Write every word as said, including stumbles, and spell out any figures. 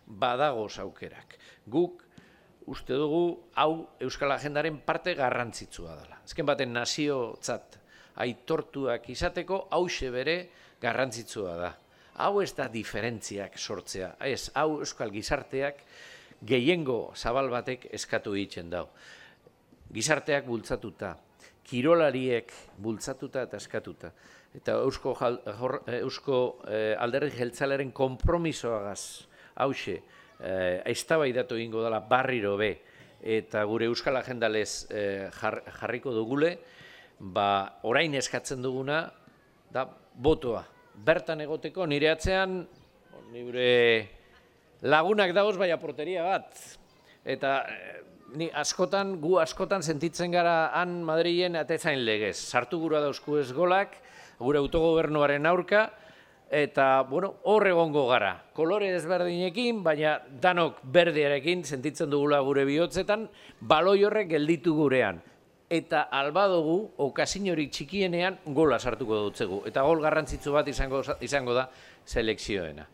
badagoz aukerak. Guk uste dugu hau Euskal Agendaren parte garrantzitsua dela. Azken baten naziotzat aitortuak izateko hauxe bere garrantzitsua da. Hau ez da diferentziak sortzea, ez, hau euskal gizarteak gehiengo zabal batek eskatu egiten dau. Gizarteak bultzatuta, kirolariek bultzatuta eta eskatuta. Eta Eusko, eusko eh, alderdi jeltzalearen konpromisoagaz hauxe eh, eztabaidatu egingo dela barriro be eta gure Euskal Agendalez eh, jar, jarriko dugule, ba, orain eskatzen duguna da botoa. Bertan egoteko nire atzean nire lagunak dagoz baina porteria bat. Eta ni askotan, gu askotan sentitzen gara han Madrilen atezain legez. Sartu gura dauzku ez golak, gure autogobernuaren aurka, eta bueno, hor egongo gara. Kolore ezberdinekin, baina danok berdearekin sentitzen dugula gure bihotzetan, baloi horrek gelditu gurean. Eta alba dugu, okazin hori txikienean gola sartuko dutzegu. Eta gol garrantzitsu bat izango, izango da selekzioena.